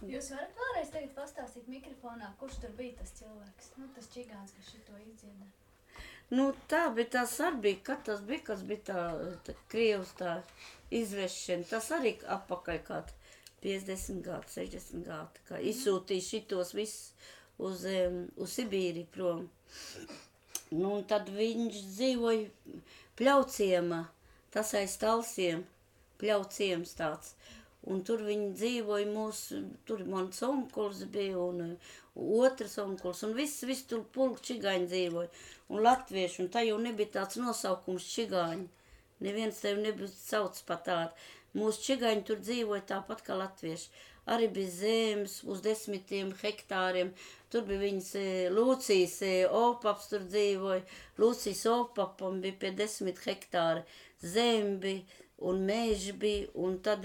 Jūs varat vēlreiz tagad pastāstīt mikrofonā, kurš tur bija tas cilvēks? Nu, tas čigāns, kas šito izdzieda. Nu, tā bija tās arī bija, kas bija tā Krievs tā izvešana. Tas arī apakaļ kāds 50 gadu, 60 gadu, kā izsūtīja šitos visus uz Sibīri prom. Nu, un tad viņš dzīvoja Pļauciemā, tas aiz Talsiem, Pļauciems tāds. Un tur viņi dzīvoja tur mans onkuls bija un otrs onkuls, un viss tur pulk čigāņi dzīvoja, un latvieši, un tā jau nebija tāds nosaukums čigāņi. Neviens tevi nebija sauc pat tādu. Mūsu čigāņi tur dzīvoja tāpat kā latvieši. Arī bija zemes uz 10 hektāriem, tur bija viņas Lūcijas opaps tur dzīvoja, Lūcijas opapam bija pie 10 hektāri, zem bija, un meži bija, un tad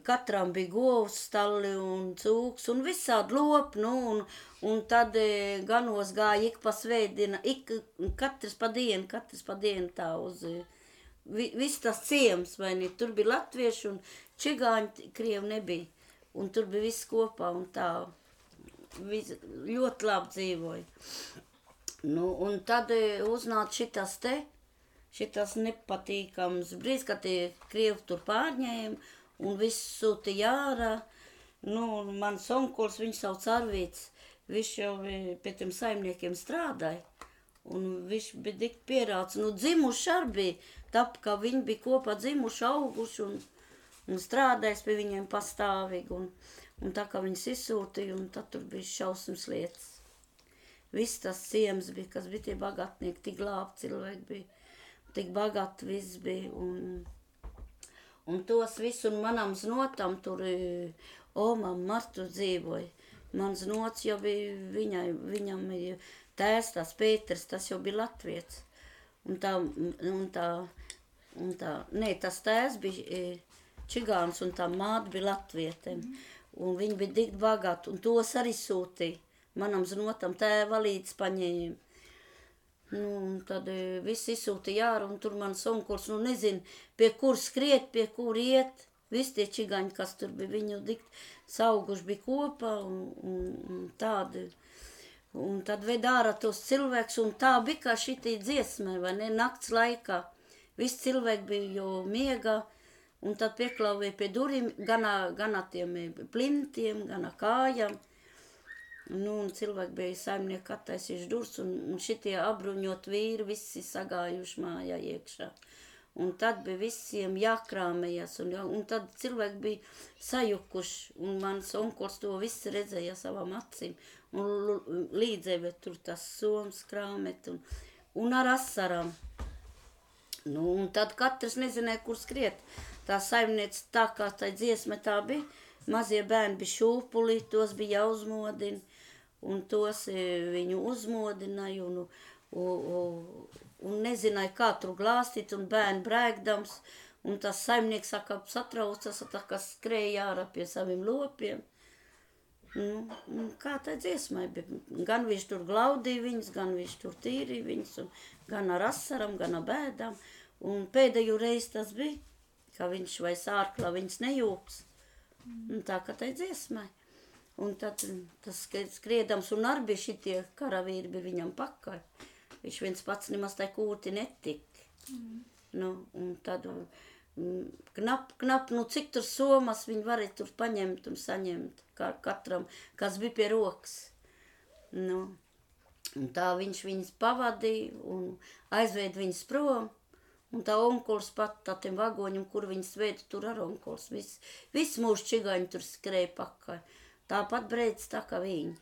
katram bija govs stalli un cūks, un visādi lopi, nu, un tad ganos gāja ik pa svētdiena, katrs pa dienu tā uz, viss tas ciems, vai ne, tur bija latvieši un čigāņi, krievi nebija, un tur bija viss kopā, un tā, ļoti labi dzīvoja. Nu, un tad uznāca šitas nepatīkams brīdis, kad tie krievi tur pārņēma un viss sūtīja ārā. Nu, un mans onkuls, viņš sauc Arvīts, viņš jau pie tiem saimniekiem strādāja. Un viņš bija tik pierāds. Nu, dzimuši arī bija, tāpēc, ka viņi bija kopā dzimuši, auguši un strādājis pie viņiem pastāvīgi. Un tā kā viņas izsūtīja, un tad tur bija šausmas lietas. Viss tas ciems bija, kas bija tie bagatnieki, tik glābti cilvēki bija. Tik bagāti viss bija, un tos visu, un manam znotam tur omam Martu dzīvoja. Mans znots jau bija viņam tēvs, tās Pēters, tas jau bija latvietis. Tas tēvs bija čigāns, un tā māte bija latvietiem. Un viņi bija tik bagāti, un tos arī sūtīja. Manam znotam tēva līdz paņēma. Nu, un tad viss izsūtīja ārā, un tur mans onkuls, nu nezinu, pie kur skriet, pie kur iet. Visi tie čigaņi, kas tur bija, viņu sauguši bija kopā, un tādi. Un tad ved ārā tos cilvēkus, un tā bija kā šitī dziesmai, vai ne, nakts laikā. Visi cilvēki bija jau miegā, un tad pieklauvēja pie durvīm, gan tiem plintiem, gan kājām. Nu, un cilvēki bija saimnieki attaisījuši durvis, un šitie apbruņot vīri visi sagājuši mājā iekšā. Un tad bija visiem jākrāmējas, un tad cilvēki bija sajukuši, un mans onkuls to visu redzēja savām acīm, un līdzēja tur tas soms krāmet, un ar asarām. Nu, un tad katrs nezināja, kur skriet. Tā saimniece tā kā tā dziesma tā bija, mazie bērni bija šūpuli, tos bija jāuzmodina. Un tos viņu uzmodināja un nezināja, kā tur glāstīt, un bērni brēkdams, un tas saimnieks saka, satraucas, tā kā skrēja ārā pie saviem lopiem. Nu, kā tā dziesmai bija. Gan viņš tur glaudīja viņus, gan viņš tur tīrīja viņus, gan ar asaram, gan ar bēdām. Un pēdējo reizi tas bija, ka viņš vai sārklā viņus nejūks. Un tā kā tā dziesmai. Un tad tas skriedams, un arī bija šitie karavīri bija viņam pakaļ. Viņš viens pats nemaz tai kūti netika. Nu, un tad knap, nu cik tur somas viņi varēja tur paņemt un saņemt katram, kas bija pie rokas. Nu, un tā viņš viņus pavadīja un aizveid viņus prom. Un tā onkuls pat tā tiem vagoņiem, kur viņus veida, tur ar onkuls. Viss mūsu čigāņi tur skrēja pakaļ. Tāpat brēc tā kā viņi.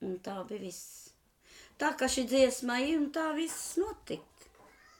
Un tā bija viss. Tā kā šī dziesma ir, un tā viss notika.